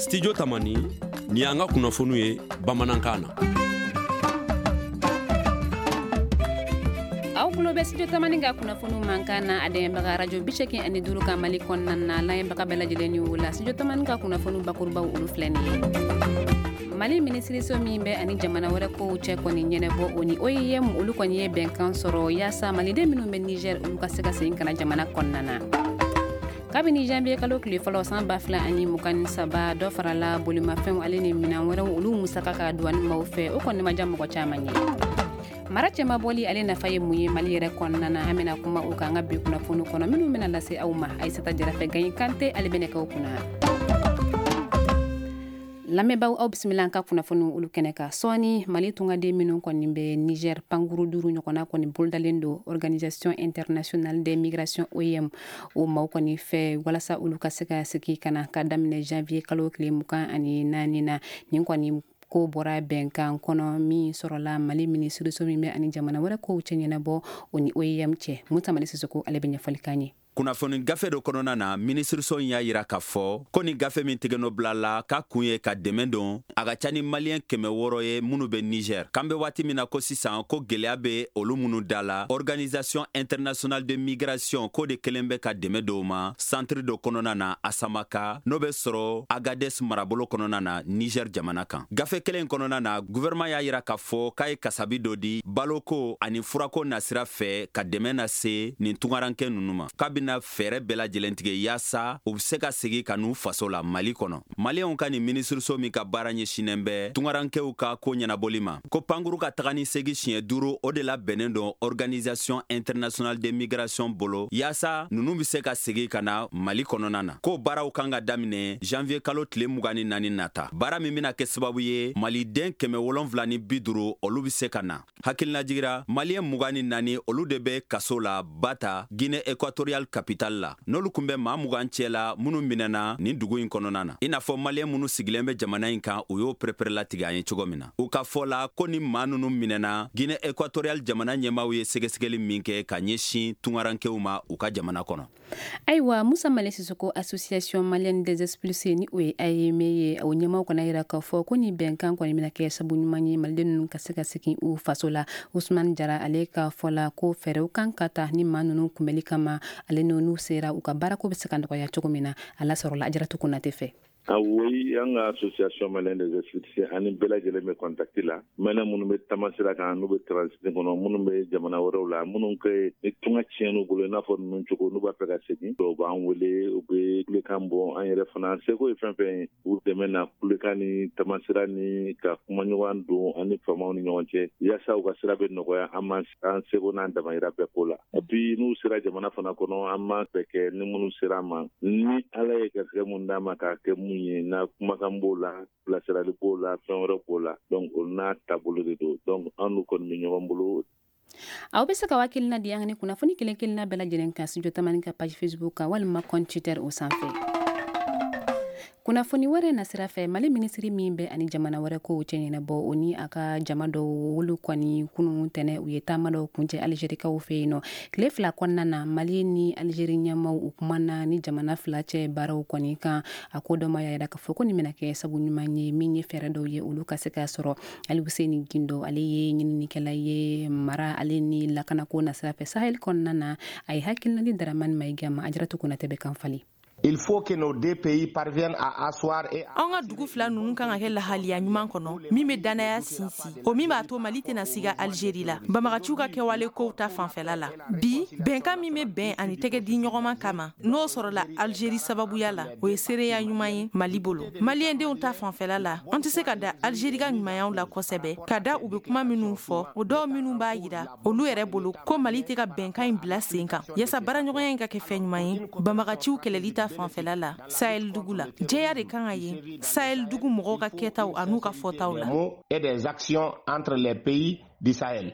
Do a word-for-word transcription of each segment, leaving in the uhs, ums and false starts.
Studio Tamani, ni y'an ka kunnafoniw ye bamanankan na. Aw tulo bɛ Studio Tamani ka kunnafoniw mankan na, a dɛmɛbaga radio bi seegin ani duuru ka Mali kɔnɔna na, layɛnbaga bɛɛ lajɛlen ni o la. Studio Tamani ka kunnafoniw bakurubaw olu filɛ nin ye. Mali minisiriso min bɛ ani jamana wɛrɛ kow cɛ kɔni ɲɛnabɔ, o ni O I M olu kɔni ye bɛnkan sɔrɔ yaasa maliden minnu bɛ Niger olu ka se ka segin ka na jamana kɔnɔna na. Kabini janvier kalo tile fɔlɔ san ba fila ani mugan ni saba, dɔ farala bolimafɛnw ale ni minɛn wɛrɛw olu musaka ka douane maaw fɛ, o kɔni ma diya mɔgɔ caman ye. Mara cɛmabɔli ale nafa ye mun ye Mali yɛrɛ kɔnɔna na, an bɛna kuma o kan an ka bi kunnafoni kɔnɔ minnu bɛna lase aw ma. Aïssata Jara fɛ, Gaye Kante ale bɛna k'aw kunna. Lamɛnbaaw, aw bisimila an ka kunnafoniw olu kɛnɛ kan. Sɔɔni Mali tungaden minnu kɔni bɛ Niger, pankuru duuru ɲɔgɔnna kɔni bolodalen don Organisation internationale des migrations O I M o maaw kɔni fɛ walasa olu ka se ka segin ka na ka daminɛ janvier kalo tile mugan ani naani na. Nin kɔni ko bɔra bɛnkan kɔnɔ min sɔrɔla Mali minisiriso min bɛ ani jamana wɛrɛ kow cɛ ɲɛnabɔ, o ni O I M cɛ. Musa Mali Sisoko ale bɛ ɲɛfɔli k'an ye. Kunnafoni gafe dɔ kɔnɔna na, minisiriso in y'a yira k'a fɔ ko ni gafe min tigɛnɔ bila la k'a kun ye ka dɛmɛ don a ka ca ni maliyɛn kɛmɛ wɔɔrɔ ye minnu bɛ Niger k'an bɛ waati min na ko sisan, ko gwɛlɛya bɛ olu minnu da la. Organisation internationale de migration k'o de kelen bɛ ka dɛmɛ dɔw ma centre dɔ kɔnɔna na Asamaka, n'o bɛ sɔrɔ Agades marabolo kɔnɔna na Niger jamana kan. Gafe kelen kɔnɔna na, gouvernement y'a yira k'a fɔ k'a ye kasabi dɔ di baloko ani furako nasira fɛ ka dɛmɛ lase nin tungarankɛ ninnu ma, k'a bɛna fɛɛrɛ bɛɛ lajɛlen tigɛ yaasa u be se ka segi ka n'u faso la Mali kɔnɔ. Maliyɛnw ka nin minisiriso min ka baara ɲɛsinnen bɛ tungarankɛw ka ko ɲɛnabɔli ma, ko pankuru ka taga ni segi siɲɛ duuru, o de la bɛnnen don Organisation internationale de migration bolo yaasa nunu be se ka segi ka na Mali kɔnɔna na. Ko baaraw kan ka daminɛ janvier kalo tile mugan ni naani nata, baara min bena kɛ sababu ye maliden kɛmɛ wolonfila ni bi duuru olu be se ka na. Hakilinajigira, maliyɛn mugan ni naani olu de bɛ kaso la Bata, Guinée équatoriale capitale la, n'olu kun bɛ maa mugan cɛ la minnu minɛna nin dugu in kɔnɔna na, i n'a fɔ maliyɛn minnu sigilen bɛ jamana in kan, u y'o pereperelatigɛ an ye cogo min na. U ka fɔ la ko ni maa ninnu minɛna, Guinée équatoriale jamana ɲɛmaaw ye sɛgɛsɛgɛli min kɛ ka ɲɛsin tungarankɛw ma u ka jamana kɔnɔ. Ayiwa, Musa Male Sisoko, Association malienne des expulsés ni o ye A E M ye, o ɲɛmaaw kɔni yira k'a fɔ ko ni bɛnkan kɔni bɛna kɛ sabu ɲuman ye maliden ninnu ka se ka segin u faso la. Usman Jara ale ka fɔ la ko fɛɛrɛw kan ka ta ni maa ninnu kunbɛli kama, ale n'u sera u ka baarako bɛ se ka nɔgɔya cogo min na. A lasɔrɔla Ajaratu Konate fɛ. Oui, an ka Association malienne des expulsés ani bɛɛ lajɛlen bɛ contact la. Maliyɛn minnu bɛ tamasira kan, n'u bɛ transit kɔnɔ, minnu bɛ jamana wɛrɛw la, minnu kɛ ni tunga tiɲɛn'u bolo i n'a fɔ ninnu cogo, n'u b'a fɛ ka segin, dɔw b'an wele, u bɛ kulekan bɔ. An yɛrɛ fana seko ye fɛn fɛn ye u dɛmɛ na kulekan ni tamasira ni ka kumaɲɔgɔn don ani faamaw ni ɲɔgɔn cɛ yaasa u ka sira bɛ nɔgɔya. An ma an seko n'an damayira bɛɛ ko la. Et puis n'u sera jamana fana kɔnɔ, an b'a bɛɛ kɛ ni minnu sera an ma, ni Ala ye garisɛgɛ mun d'an ma k'a kɛ mun ye, n'a kumakan b'o la, bilasirali b'o la, fɛn wɛrɛ b'o la. Donc o n'a taabolo de don. Donc an n'u kɔni bɛ ɲɔgɔn bolo. Aw bɛ se ka hakilina di an ni kunnafoni kelen kelenna bɛɛ lajɛlen kan Studio Tamani ka page Facebook kan walima compte Twitter o sanfɛ. Kunnafoni wɛrɛ nasira fɛ, Mali minisiri min bɛ ani jamana wɛrɛ kow cɛ ɲɛnabɔ, o ni a ka jama dɔw olu kɔni kunun tɛnɛ u ye taama dɔw kuncɛ Alizerikaw fɛ yen nɔ. Tile fila kɔnɔna na, Mali ni Alizeri ɲɛmaw u kumana ni jamana fila cɛ baaraw kɔni kan. A ko dɔ ma y'a yira k'a fɔ ko nin bɛna kɛ sabu ɲuman ye min ye fɛɛrɛ dɔw ye olu ka se ka sɔrɔ. Alifuseni Gindo ale ye ɲininikɛla ye mara ale ni lakanako nasira fɛ Sahel kɔnɔna na. A ye hakilina di Daramani Mayiga ma. Ajaratu Konate bɛ kan falen. Il faut que nos deux pays parviennent à asseoir et An ka dugu fila ninnu kan ka kɛ lahaliya ɲuman kɔnɔ min bɛ dannaya sinsin, o min b'a to Mali tɛna siga Algérie la banbagaciw ka kɛwale kow ta fanfɛla la. Bi bɛnkan min bɛ bɛn ani tɛgɛ di ɲɔgɔnma kama, n'o sɔrɔla Algérie sababuya la, o ye seereya ɲuman ye Mali bolo. Maliyɛndenw ta fanfɛla la, an tɛ se ka da Algérie ka ɲumanyaw la kosɛbɛ, ka da u bɛ kuma minnu fɔ, o dɔw minnu b'a yira olu yɛrɛ bolo ko Mali tɛ ka bɛnkan in bila sen kan yaasa baaraɲɔgɔnya in ka kɛ fɛn ɲuman ye banbagaciw kɛlɛli ta fanfɛla la Sahel dugu la. Jɛya de kan ka ye Sahel dugu mɔgɔw ka kɛtaw an'u ka fɔtaw la. Et des actions entre les pays du Sahel.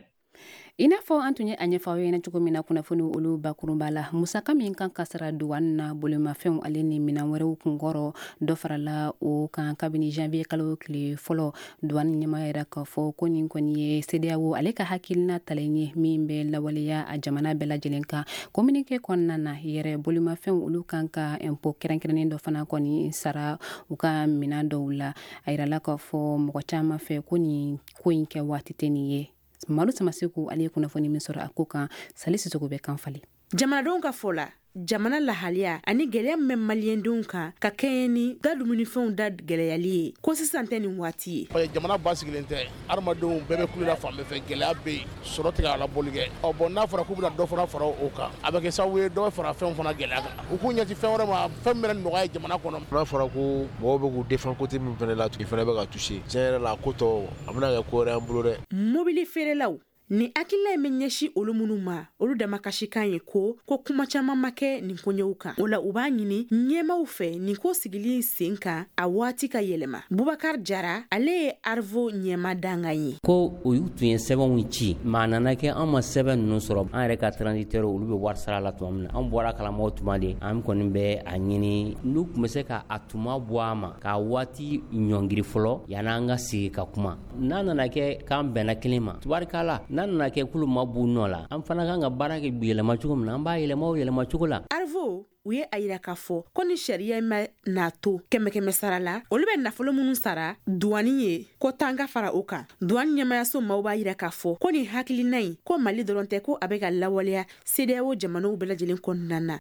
I n'a fɔ an tun ye a ɲɛfɔ aw ɲɛna cogo min na kunnafoni olu bakurunba la, musaka min kan ka sara duwani na bolimafɛnw ale ni minɛn wɛrɛw kunkɔrɔ, dɔ farala o kan kabini janvier kalo tile fɔlɔ. Duwani ɲɛmaa yɛrɛ k'a fɔ ko nin kɔni ye CEDEAO ale ka hakilina talen ye min bɛ lawaleya a jamana bɛɛ lajɛlen kan. Communiqué kɔnɔna na yɛrɛ, bolimafɛnw olu kan ka impôt kɛrɛnkɛrɛnnen dɔ fana kɔni sara u ka minɛn dɔw la. A yirala k'a fɔ mɔgɔ caman fɛ ko nin ko in kɛ waati tɛ nin ye. Malo Samaseku ale ye kunnafoni min sɔrɔ a ko kan, Sali Sisoko bɛ kan falen. Jamanadenw ka fɔ la, jamana lahaliya ani gɛlɛya min bɛ maliyɛndenw kan ka kɛɲɛ ni da dumunifɛnw da gɛlɛyali ye, ko sisan tɛ nin waati ye. Jamana basigilen tɛ, adamadenw bɛɛ bɛ kulela fan bɛɛ fɛ, gɛlɛya bɛ yen, sɔrɔ tɛ ka labɔli kɛ. Ɔ bɔn, n'a fɔra k'u bɛna dɔ fana fara o kan, a bɛ kɛ sababu ye dɔ bɛ fara fɛnw fana gɛlɛya kan. U k'u ɲɛsin fɛn wɛrɛ ma, fɛn min bɛna nɔgɔya jamana kɔnɔ. N'a fɔra ko mɔgɔw bɛ k'u défend côté min fana la, i fana bɛ ka toucher. Tiɲɛ yɛrɛ la, a ko tɔ a bɛna kɛ ko wɛrɛ y'an bolo dɛ. Mobili feerelaw, ni hakilina in bɛ ɲɛsin olu minnu ma, olu damakasikan ye ko ko kuma caman ma kɛ nin koɲɛw kan. O la, u b'a ɲini ɲɛmaw fɛ nin ko sigili sen kan, a waati ka yɛlɛma. Bubakar Jara, ale ye Arvo ɲɛma dangan ye. Ko olu tun ye sɛbɛnw ci, maa nana kɛ an ma sɛbɛn ninnu sɔrɔ. An yɛrɛ ka transitaire, olu bɛ wari sara la tuma min na, an bɔra kalamaw tuma de. An kɔni bɛ a ɲini n'u tun bɛ se ka a tuma bɔ a ma, k'a waati ɲɔngiri fɔlɔ yan'an ka sigi ka kuma. N'a nana kɛ k'an bɛnna kelen ma, tubarikala. N'a nana kɛ k'olu ma b'u nɔ la, an fana kan ka baara kɛ yɛlɛma cogo min na, an b'a yɛlɛma o yɛlɛma cogo la. Arvo u ye a yira k'a fɔ ko ni sariya ma n'a to kɛmɛ kɛmɛ sara la, olu bɛ nafolo minnu sara duwani ye, ko tan ka fara o kan. Duwani ɲɛmayaso maaw b'a yira k'a fɔ ko nin hakilina in, ko Mali dɔrɔn tɛ, ko a bɛ ka lawaleya CEDEAO jamanaw bɛɛ lajɛlen kɔnɔna na.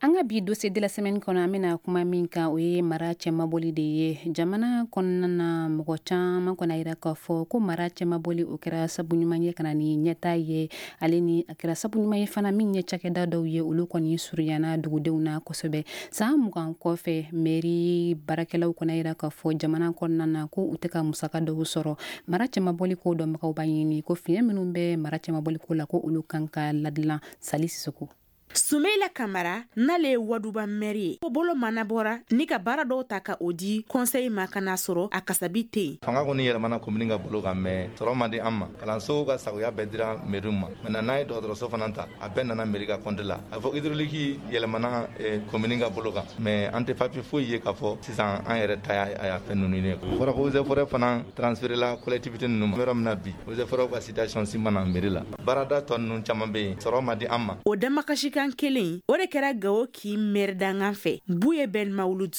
An ka bi dossier de la semaine kɔnɔ, an bɛna kuma min kan, o ye mara cɛmabɔli de ye jamana kɔnɔna na. Mɔgɔ caman kɔni a yira k'a fɔ ko mara cɛmabɔli, o kɛra sabu ɲuman ye ka na ni ɲɛta ye, ale ni a kɛra sabu ɲuman ye fana min ye cakɛda dɔw ye, olu kɔni surunyana dugudenw na kosɛbɛ. San mugan kɔfɛ, mairie baarakɛlaw kɔni a yira k'a fɔ jamana kɔnɔna na ko u tɛ ka musaka dɔw sɔrɔ. Mara cɛmabɔli ko dɔnbagaw b'a ɲini ko fiɲɛ minnu bɛ mara cɛmabɔli ko la, ko olu kan ka ladilan. Sali Sisoko. Sumeila Kamara, n'ale ye Waduba maire ye, ko bolo mana bɔra ni ka baara dɔw ta ka o di conseil ma, ka n'a sɔrɔ a kasabi tɛ yen. Fanga kɔni yɛlɛmana commune ka bolo kan, mais sɔrɔ man di an ma. Kalanso ka sagoya bɛɛ dira mairie ma. Maintenant, n'a ye dɔgɔtɔrɔso fana ta, a bɛɛ nana mairie ka compte la. A fɔ hydraulique yɛlɛmana commune ka bolo kan, mais an tɛ papier foyi ye k'a fɔ sisan an yɛrɛ ta y'a fɛn ninnu ye. Fɔra ko eaux et forêts fana transféré la collectivité ninnu ma. Yɔrɔ min na bi, eaux et forêts ka citation si ma na mairie la. Baarada tɔ ninnu caman bɛ yen, sɔrɔ man di an ma. O damakasi kan kelen, o de kɛra Gawo kin maire dangan fɛ, Buye Ben Mawulud.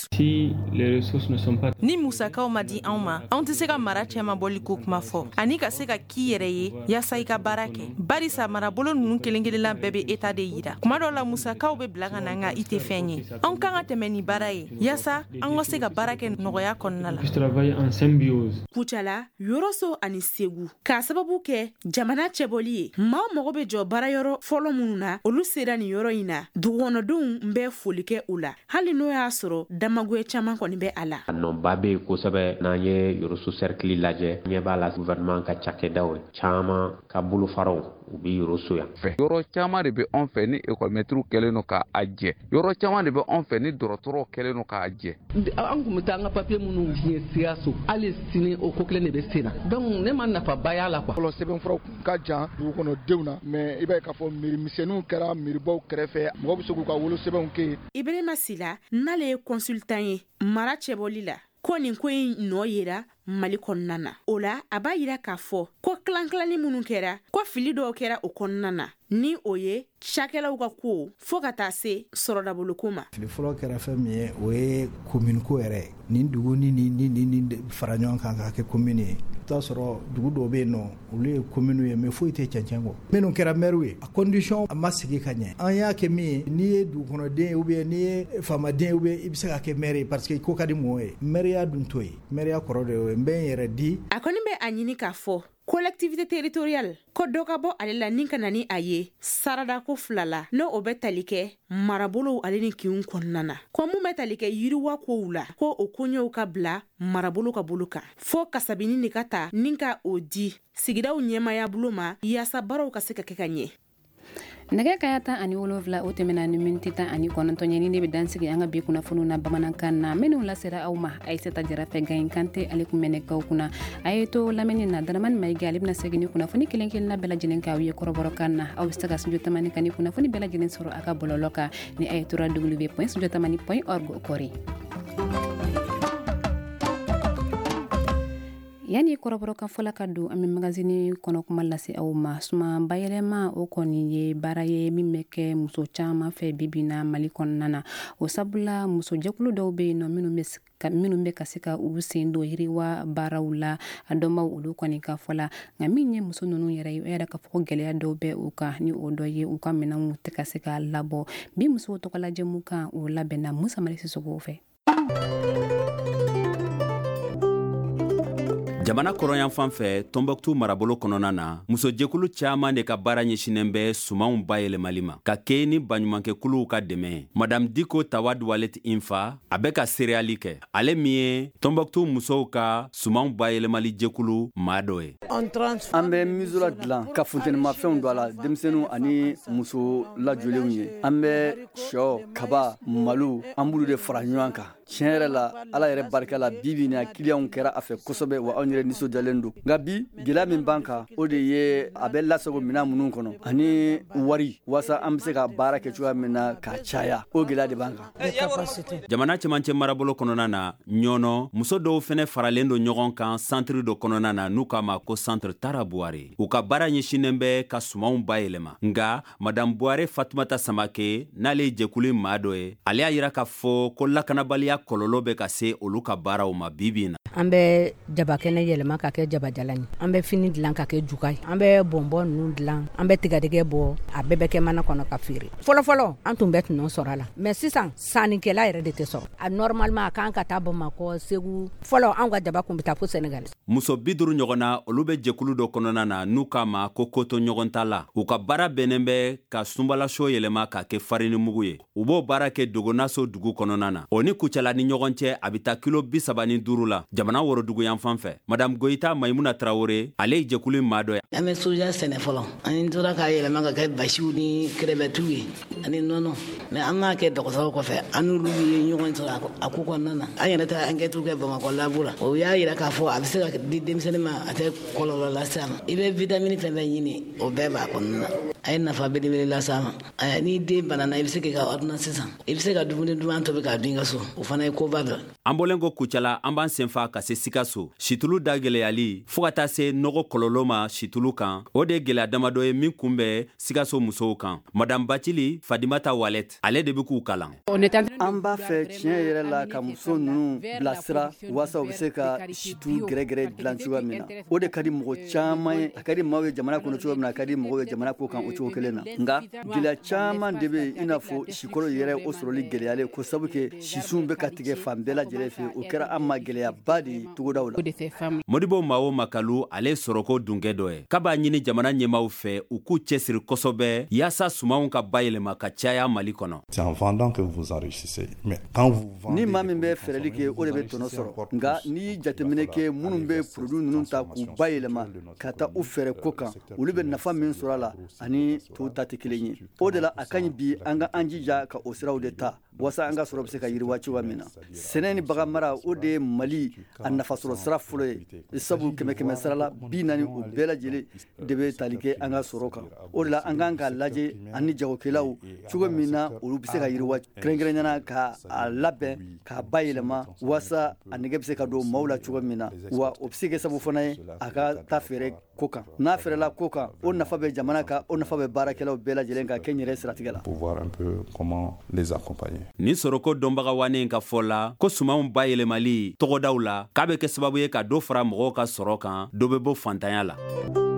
Ni musakaw ma di anw ma, anw tɛ se ka mara cɛmabɔli ko kuma fɔ ani ka se ka k'i yɛrɛ ye yaasa i ka baara kɛ, barisa marabolo ninnu kelen kelenna bɛɛ bɛ eta de yira. Kuma dɔw la, musakaw bɛ bila ka na, nka i tɛ fɛn ye. Anw kan ka tɛmɛ ni baara ye yaasa an ka se ka baara kɛ nɔgɔya kɔnɔna la. Kucala, Yɔrɔso ani Segu, k'a sababu kɛ jamana cɛbɔli ye, maaw mago bɛ jɔ baarayɔrɔ fɔlɔ minnu na, olu sera nin yɔrɔ in na. Dugukɔnɔdenw bɛ foli kɛ u la, hali n'o y'a sɔrɔ damagoya caman kɔni bɛ a la. A nɔba bɛ yen kosɛbɛ. N'an ye Yɔrɔso cercle lajɛ, ɲɛ b'a la gouvernement ka cakɛdaw caman ka bolofaraw, u bɛ Yɔrɔso yan. Yɔrɔ caman de bɛ anw fɛ ni ekɔlimɛtiriw kɛlen don k'a jɛ, yɔrɔ caman de bɛ anw fɛ ni dɔgɔtɔrɔw kɛlen don k'a jɛ. An tun bɛ taa an ka papiye minnu diɲɛ Sikaso, hali sini o ko kelen de bɛ sen na, donc ne ma nafaba y'a la quoi. Fɔlɔ, sɛbɛnfuraw kun ka jan dugukɔnɔdenw na, mais i b'a ye k'a fɔ mairie misɛnninw kɛra mairiebaw kɛrɛfɛ, mɔgɔ bɛ se k'u ka wolosɛbɛnw kɛ yen. Ibrahima Sila, n'ale ye consultant ye mara cɛbɔli la, ko nin ko in nɔ yera Mali kɔnɔna na. O la, a b'a yira k'a fɔ ko kilan-kilanni minnu kɛra, ko fili dɔw kɛra o kɔnɔna na, ni o ye cakɛlaw ka ko fo ka taa se sɔrɔdaboloko ma. Fili fɔlɔ kɛra fɛn min ye, o ye commune ko yɛrɛ ye. Nin dugu ni ni ni ni fara ɲɔgɔn kan k'a kɛ commune ye. I t'a sɔrɔ dugu dɔw bɛ yen nɔ, olu ye commune ye, mais foyi tɛ cɛncɛn kɔ. Minnu kɛra maire ye, a condition a ma sigi ka ɲɛ. An y'a kɛ min ye, n'i ye dugukɔnɔden ye ou bien n'i ye faamaden ye ou bien i bɛ se ka kɛ maire ye parce que ko ka di mɔgɔw ye. Maire dun t'o ye, maire kɔrɔ de y'o ye. N bɛ n yɛrɛ di. A kɔni bɛ a ɲini k'a fɔ collectivité territoriale ko dɔ ka bɔ ale la ni ka na ni a ye saradako fila la, n'o o bɛ tali kɛ marabolow ale ni kinw kɔnɔna na, ko mun bɛ tali kɛ yiriwa kow la, ko o koɲɛw ka bila marabolo ka bolo kan, fo kasabini de ka ta ni ka o di sigidaw ɲɛmaya bolo ma yaasa baaraw ka se ka kɛ ka ɲɛ. Nɛgɛ kaya tan ani wolonwula o tɛmɛna ni miniti tan ani kɔnɔntɔn ye, ni ne bɛ dansigi an ka bi kunnafoniw na bamanankan na minnu lasera aw ma Aïssata Jara fɛ. Gaye Kante ale kun bɛ nɛgɛw kunna. A ye to lamɛnni na, Daramani Mayiga ale bɛna segin ni kunnafoni kelen kelenna bɛɛ lajɛlen k'aw ye kɔrɔbɔrɔkan na. Aw bɛ se ka Studio Tamani ka ni kunnafoni bɛɛ lajɛlen sɔrɔ a ka bɔlɔlɔ kan ni a ye trois w point studio tamani point org kɔri. Yanni kɔrɔbɔrɔkan fɔla ka don, an bɛ magazine kɔnɔ kuma lase aw ma. Suman bayɛlɛma, o kɔni ye baara ye min bɛ kɛ muso caman fɛ bibi na Mali kɔnɔna na. O sabula, musojɛkulu dɔw bɛ yen nɔ minnu bɛ minnu bɛ ka se ka u sen don yiriwa baaraw la, a dɔnbaw olu kɔni ka fɔ la. Nka min ye muso ninnu yɛrɛ ye, o yɛrɛ ka fɔ ko gɛlɛya dɔw bɛ u kan, ni o dɔ ye u ka minɛnw tɛ ka se ka labɔ. Bi musow tɔgɔla jɛmu kan, o labɛnna Musa Mali Sisoko fɛ. Jamana kɔrɔyan fan fɛ, Tɔnbɔkutu marabolo kɔnɔna na, musojɛkulu caaman de ka baara ɲɛsinen bɛ sumanw bayɛlɛmali ma ka kɛ ni baɲumankɛkuluw ka dɛmɛ ye. Madame Diko Tawad Walet Infa, a bɛ ka seereyali kɛ, ale min ye Tɔnbɔkutu musow ka sumanw bayɛlɛmali jɛkulu maa dɔ ye. An bɛ misola dilan ka funtenimafɛnw don a la denmisɛnninw ani muso lajɔlenw ye. An bɛ sɔ, kaba, malo, an b'olu de fara ɲɔgɔn kan. Tiɲɛ yɛrɛ la, Ala yɛrɛ barika la, bi bi na kiliyanw kɛra a fɛ kosɛbɛ, wa anw yɛrɛ nisɔndiyalen don. Nka bi gɛlɛya min b'an kan, o de ye a bɛ lasago minɛn minnu kɔnɔ ani wari, walasa an bɛ se ka baara kɛ cogoya min na k'a caya, o gɛlɛya de b'an kan. Jamana cɛmancɛ marabolo kɔnɔna na, Ɲɔnɔ, muso dɔw fɛnɛ faralen don ɲɔgɔn kan centre dɔ kɔnɔna na n'u k'a ma ko centre Tara Buware. U ka baara ɲɛsinnen bɛ ka sumanw bayɛlɛma. Nka madame Buware Fatumata Samake, n'ale ye jɛkulu maa dɔ ye, ale y'a yira k'a fɔ ko lakanabaliya kɔlɔlɔ bɛ ka se olu ka baaraw ma bibi na. An bɛ jabakɛnɛ yɛlɛma ka kɛ jabajalan ye, an bɛ fini dilan ka kɛ juga ye, an bɛ bɔnbɔn ninnu dilan, an bɛ tigadɛgɛ bɔ, a bɛɛ bɛ kɛ mana kɔnɔ ka feere. Fɔlɔfɔlɔ an tun bɛ tɔnɔ sɔrɔ a la, mais sisan sannikɛla yɛrɛ de tɛ sɔrɔ a. Normalement a kan ka taa Bamakɔ, Segu. Fɔlɔ an ka jaba kun bɛ taa fo Senegal. Muso bi duuru ɲɔgɔn na, olu bɛ jɛkulu dɔ kɔnɔna na n'u k'a ma ko koto ɲɔgɔn ta la. U ka baara bɛnnen bɛ ka sunbalaso yɛlɛma k'a kɛ farini mugu ye. U b'o baara kɛ Dogonaso dugu kɔnɔna na. O ni Kucala ni ɲɔgɔn cɛ, a bɛ taa kilo bi saba ni duuru la, jamana worodugu yan fan fɛ. Madame Goyita Maimuna Tarawele, ale ye jɛkulu maa dɔ ye. An bɛ soja sɛnɛ fɔlɔ, an tora k'a yɛlɛma ka kɛ basiw ni kɛrɛbɛtiw ye ani nɔnɔ, mais an m'a kɛ dɔgɔtɔrɔw kɔfɛ, an n'olu ye ɲɔgɔn sɔrɔ a ko kɔnɔna na. An yɛrɛ taara enquête kɛ Bamakɔ labo la, o y'a yira k'a fɔ a bɛ se ka di denmisɛnnin ma, a tɛ kɔlɔlɔ lase a ma. I bɛ vitamine fɛn fɛn ɲini, o bɛɛ b'a kɔnɔna na. A ye nafa belebele lase a ma. N'i den banana, i bɛ se k'i ka ordonnance san, i bɛ se ka dumuni duman tobi k'a dun i ka so, o fana ye koba dɔ. An bɔlen ko Kucala, an b'an senfa ka se Sikaso. Situlu da gɛlɛyali fɔɔ ka taa se nɔgɔ kɔlɔlɔ ma situlu kan, o de ye gɛlɛya damadɔ ye min kunbɛ Sikaso musow kan. Madame Bacili Fadimata Walet, ale de bɛ k'u kalan. An b'a fɛ tiɲɛ yɛrɛ la ka muso ninnu bilasira walasa u bɛ se ka situlu gɛrɛgɛrɛ dilan cogoya min na. O de ka di mɔgɔ caman ye, a ka di maaw ye jamana kɔnɔ cogo min na, a ka di mɔgɔw ye jamana ko kan o cogo kelen na. Nka gɛlɛya caman de bɛ yen, i n'a fɔ sikɔrɔ yɛrɛ, o sɔrɔli gɛlɛyalen ko sabu kɛ sisun bɛ ka tigɛ fan bɛɛ lajɛlen fɛ. O kɛra an ma gɛlɛyaba de ye togodaw la. Modibo Mao Makalu, ale sɔrɔko dunkɛ dɔ ye, k'a b'a ɲini jamana ɲɛmaaw fɛ u k'u cɛsiri kosɛbɛ yaasa sumanw ka bayɛlɛma ka caya Mali kɔnɔ. Ni maa min bɛ fɛɛrɛli kɛ, o de bɛ tɔnɔ sɔrɔ. Nka n'i ye jateminɛ kɛ, minnu bɛ produit ninnu ta k'u bayɛlɛma ka taa u fɛɛrɛ ko kan, olu bɛ nafa min sɔrɔ a la ani tɔw ta tɛ kelen ye. O de la a ka ɲi bi an ka an jija ka o siraw de ta walasa an ka sɔrɔ bɛ se ka yiriwa cogoya min na. Sɛnɛ ni bagan mara, o de ye Mali a nafasɔrɔ sira fɔlɔ ye, sabu kɛmɛ kɛmɛ sara la bi naani, o bɛɛ lajɛlen de bɛ tali kɛ an ka sɔrɔ kan. O de la an kan k'a lajɛ ani jagokɛlaw cogo min na olu bɛ se ka yiriwa, kɛrɛnkɛrɛnnenya ka a labɛn k'a bayɛlɛma walasa a nege bɛ se ka don maaw la cogo min na. Wa o bɛ se kɛ sababu fana ye a ka taa feere ko kan. N'a feerela ko kan, o nafa bɛ jamana kan, o nafa bɛ baarakɛlaw bɛɛ lajɛlen kan kɛ n yɛrɛ siratigɛ la. Nin sɔrɔko dɔnbaga wanen ka fɔ la ko sumanw bayɛlɛmali tɔgɔdaw la, k'a bɛ kɛ sababu ye ka dɔ fara mɔgɔw ka sɔrɔ kan, dɔ bɛ bɔ fantanya la.